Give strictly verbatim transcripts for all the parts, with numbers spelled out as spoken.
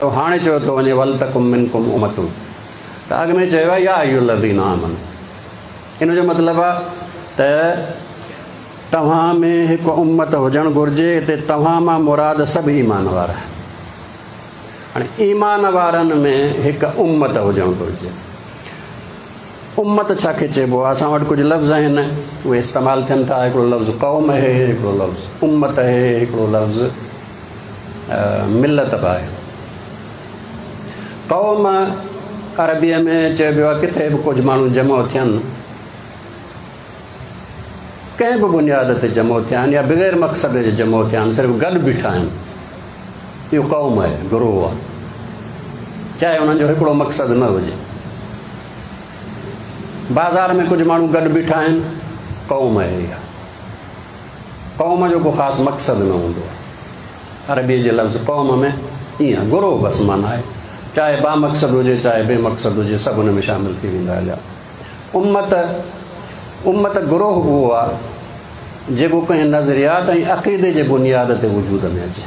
हाणे चयो थो वञे ولتڪم منڪم امة, त अॻु में चयो आहे يا أيها الذين آمنوا। इन जो मतिलबु आहे त तव्हां में हिकु उम्मत हुजणु घुरिजे। हिते तव्हां मां मुराद सभु ईमान वारा। हाणे ईमान वारनि में हिकु उम्मत हुजणु घुरिजे। उम्मत छाखे चइबो आहे? असां वटि कुझु लफ़्ज़ आहिनि, उहे इस्तेमालु थियनि था। हिकिड़ो लफ़्ज़ क़ौम आहे, हिकिड़ो लफ़्ज़ उम्मत आहे, हिकिड़ो लफ़्ज़ मिलत बि आहे। क़ौम अरबीअ में चइबो आहे किथे बि कुझु माण्हू जमो थियनि, कंहिं बि बुनियाद ते जमो थिया आहिनि या बग़ैर मक़सद जे जमो थिया आहिनि, सिर्फ़ु गॾु बीठा आहिनि, इहो क़ौम आहे, गिरोह आहे, चाहे उन्हनि जो हिकिड़ो मक़सदु न हुजे। बाज़ार में कुझु माण्हू गॾु बीठा आहिनि, क़ौम आहे इहा। क़ौम जो को ख़ासि मक़सदु न हूंदो आहे। अरबीअ जे लफ़्ज़ क़ौम में ईअं गिरोह बसि माना आहे, चाहे बामक़सद हुजे चाहे बेमक़सद हुजे, सभु हुन में शामिल थी वेंदा हलिया। उम्मत उम्मत गिरोह उहो आहे जेको कंहिं नज़रियात ऐं अक़ीदे जे बुनियाद ते वजूद में अचे।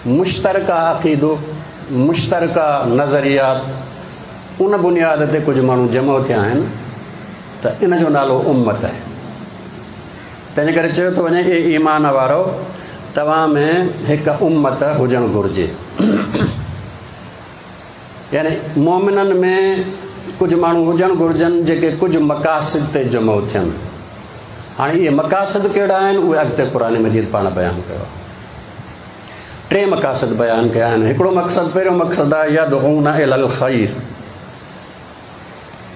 मुश्तरका अक़ीदो, मुश्तरका नज़रियात, उन बुनियाद ते कुझु माण्हू जमो थिया आहिनि त इन जो नालो उम्मत आहे। तंहिंजे करे चयो थो वञे, ए ईमान वारो, तव्हां में हिकु उम्मत हुजणु घुरिजे। यानी मोमिननि में कुझु माण्हू हुजणु घुरिजनि जेके कुझु मक़ासिद ते जमो थियनि। हाणे इहे मक़ासिद कहिड़ा आहिनि, उहे अॻिते क़ुर मजीद पाण बयानु कयो आहे। टे मक़ासिद बयानु कया आहिनि। हिकिड़ो मक़सदु, पहिरियों मक़सदु आहे يدعون إلى الخير,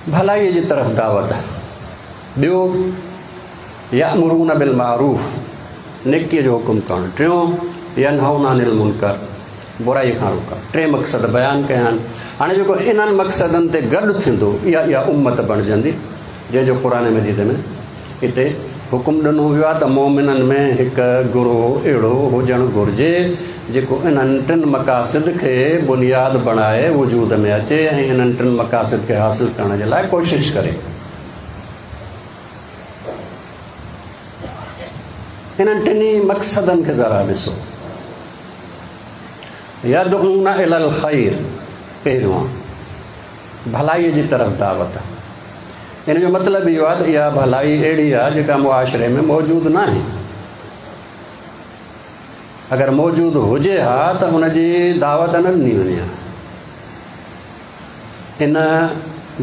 भलाई जी तरफ़ दावत। ॿियो يأمرون بالمعروف, नेकीअ जो हुकुम करणु। टियों ينهون عن المنڪر, बुराई खां रोकणु। टे मक़सद बयानु कया आहिनि। हाणे जेको इन्हनि मक़सदनि ते गॾु थींदो, इहा इहा उम्मत बणिजंदी, जंहिंजो क़ुर मजीद में हिते हुकुम ॾिनो वियो आहे त मोमिननि में हिकु गिरोह अहिड़ो हुजणु घुरिजे जेको इन्हनि टिनि मक़ासिद खे बुनियाद बणाए वजूद में अचे ऐं इन्हनि टिनि मक़ासिद खे हासिल करण जे लाइ कोशिशि करे। इन्हनि टिन्ही मक़सदनि खे ज़रा ॾिसो। يدعون إلى الخير, पहिरियों भलाई जी तरफ़ दावत। इन जो मतिलबु इहो आहे त इहा भलाई अहिड़ी आहे जेका मुआशरे में मौजूदु न आहे। अगरि मौजूदु हुजे हा त हुनजी दावत न ॾिनी वञे हा। इन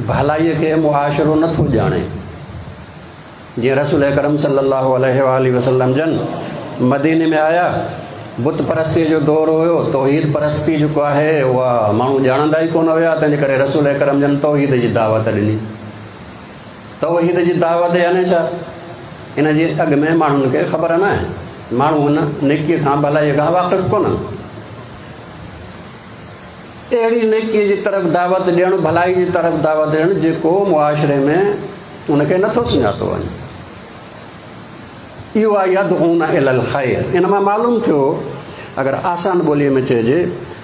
भलाईअ खे मुआशरो नथो ॼाणे। जीअं रसूल अकरम सल्लल्लाहु अलैहि वसल्लम जन मदीने में आया, बुत परस्तीअ जो दौर हुयो, तौहीद परस्ती जेको आहे उहा माण्हू ॼाणंदा ई कोन हुया, तंहिंजे करे रसूल अकरम जन तौहीद जी दावत ॾिनी। तौहीद जी दावत यानी छा? इन जी अॻु में माण्हुनि खे ख़बर न आहे, माण्हू हुन नेकीअ खां भलाईअ खां वाक़िफ़ कोन्हनि। अहिड़ी नेकीअ जी तरफ़ दावत ॾियणु, भलाई जी तरफ़ दावत ॾियणु जेको मुआशरे में उनखे नथो सुञातो वञे, इहो आहे يدعون إلى الخير। इन मां मालूम थियो, अगरि आसान ॿोलीअ में चइजे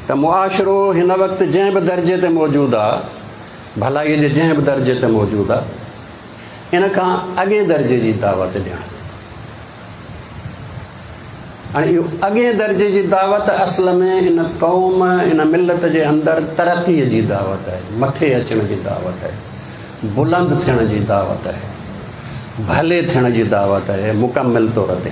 त मुआशरो हिन वक़्तु जंहिं बि दर्जे ते मौजूदु आहे, भलाईअ जे जंहिं बि दर्जे ते मौजूदु आहे, इन खां अॻे दर्जे जी दावत ॾियणु। हाणे इहो अॻे दर्जे जी दावत असल में इन क़ौम, इन मिलत जे अंदरि तरक़ीअ जी दावत आहे, मथे अचण जी दावत आहे, बुलंद थियण जी दावत आहे, भले थियण जी दावत आहे, मुकमिल तौर ते।